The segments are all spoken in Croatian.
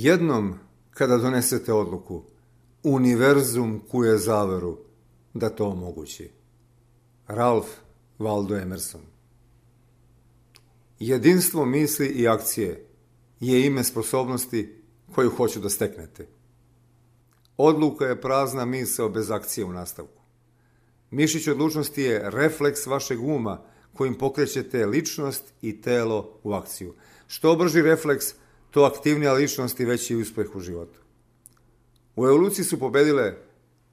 Jednom kada donesete odluku, univerzum kuje zaveru da to omogući. Ralph Waldo Emerson. Jedinstvo misli i akcije je ime sposobnosti koju hoću da steknete. Odluka je prazna misao bez akcije u nastavku. Mišić odlučnosti je refleks vašeg uma kojim pokrećete ličnost i telo u akciju. Što brži refleks, to aktivnija ličnost i veći uspeh u životu. U evoluciji su pobedile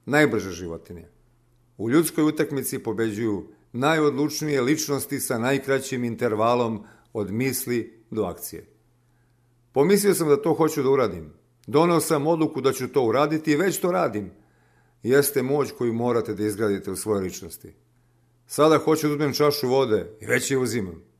najbrže životinje. U ljudskoj utakmici pobeđuju najodlučnije ličnosti sa najkraćim intervalom od misli do akcije. Pomislio sam da to hoću da uradim. Doneo sam odluku da ću to uraditi i već to radim. Jeste moć koju morate da izgradite u svojoj ličnosti. Sada hoću da uzmem čašu vode i već je uzimam.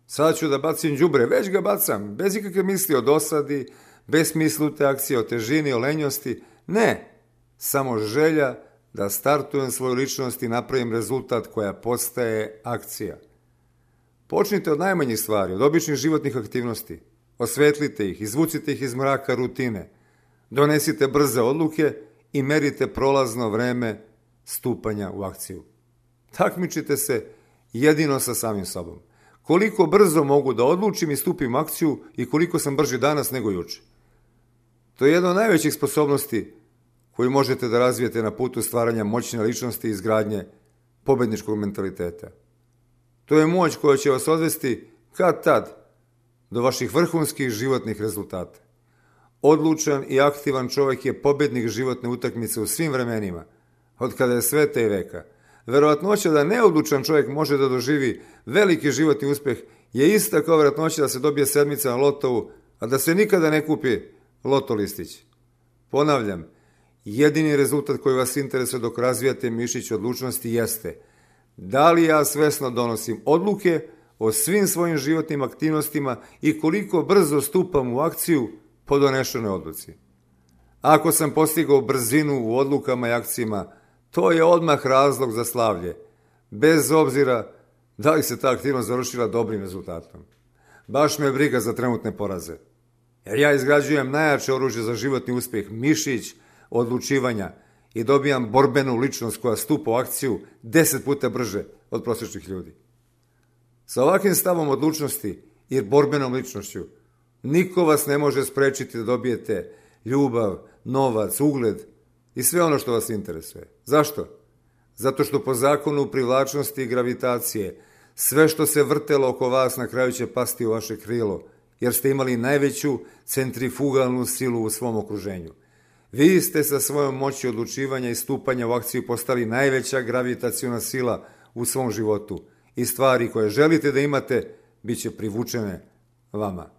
Sada ću da bacim đubre, već ga bacam, bez ikakve misli o dosadi, bez smislute akcije, o težini, o lenjosti. Ne, samo želja da startujem svoju ličnost i napravim rezultat koja postaje akcija. Počnite od najmanjih stvari, od običnih životnih aktivnosti. Osvetlite ih, izvucite ih iz mraka rutine. Donesite brze odluke i merite prolazno vreme stupanja u akciju. Takmičite se jedino sa samim sobom. Koliko brzo mogu da odlučim i stupim u akciju i koliko sam brži danas nego juče. To je jedna od najvećih sposobnosti koju možete da razvijete na putu stvaranja moćne ličnosti i izgradnje pobedničkog mentaliteta. To je moć koja će vas odvesti kad tad do vaših vrhunskih životnih rezultata. Odlučan i aktivan čovjek je pobednik životne utakmice u svim vremenima, od kada je sveta i veka. Verovatnoća da neodlučan čovjek može da doživi veliki životni uspeh je ista kao verovatnoća da se dobije sedmica na lotovu, a da se nikada ne kupi loto listić. Ponavljam, jedini rezultat koji vas interesuje dok razvijate mišić odlučnosti jeste da li ja svesno donosim odluke o svim svojim životnim aktivnostima i koliko brzo stupam u akciju po donešenoj odluci. Ako sam postigao brzinu u odlukama i akcijama, to je odmah razlog za slavlje, bez obzira da li se ta aktivnost završila dobrim rezultatom. Baš me briga za trenutne poraze, jer ja izgrađujem najjače oružje za životni uspjeh, mišić odlučivanja i dobijam borbenu ličnost koja stupa u akciju 10 puta brže od prosječnih ljudi. Sa ovakvim stavom odlučnosti i borbenom ličnošću niko vas ne može sprečiti da dobijete ljubav, novac, ugled i sve ono što vas interesuje. Zašto? Zato što po zakonu privlačnosti i gravitacije sve što se vrtelo oko vas na kraju će pasti u vaše krilo, jer ste imali najveću centrifugalnu silu u svom okruženju. Vi ste sa svojom moći odlučivanja i stupanja u akciju postali najveća gravitaciona sila u svom životu i stvari koje želite da imate bit će privučene vama.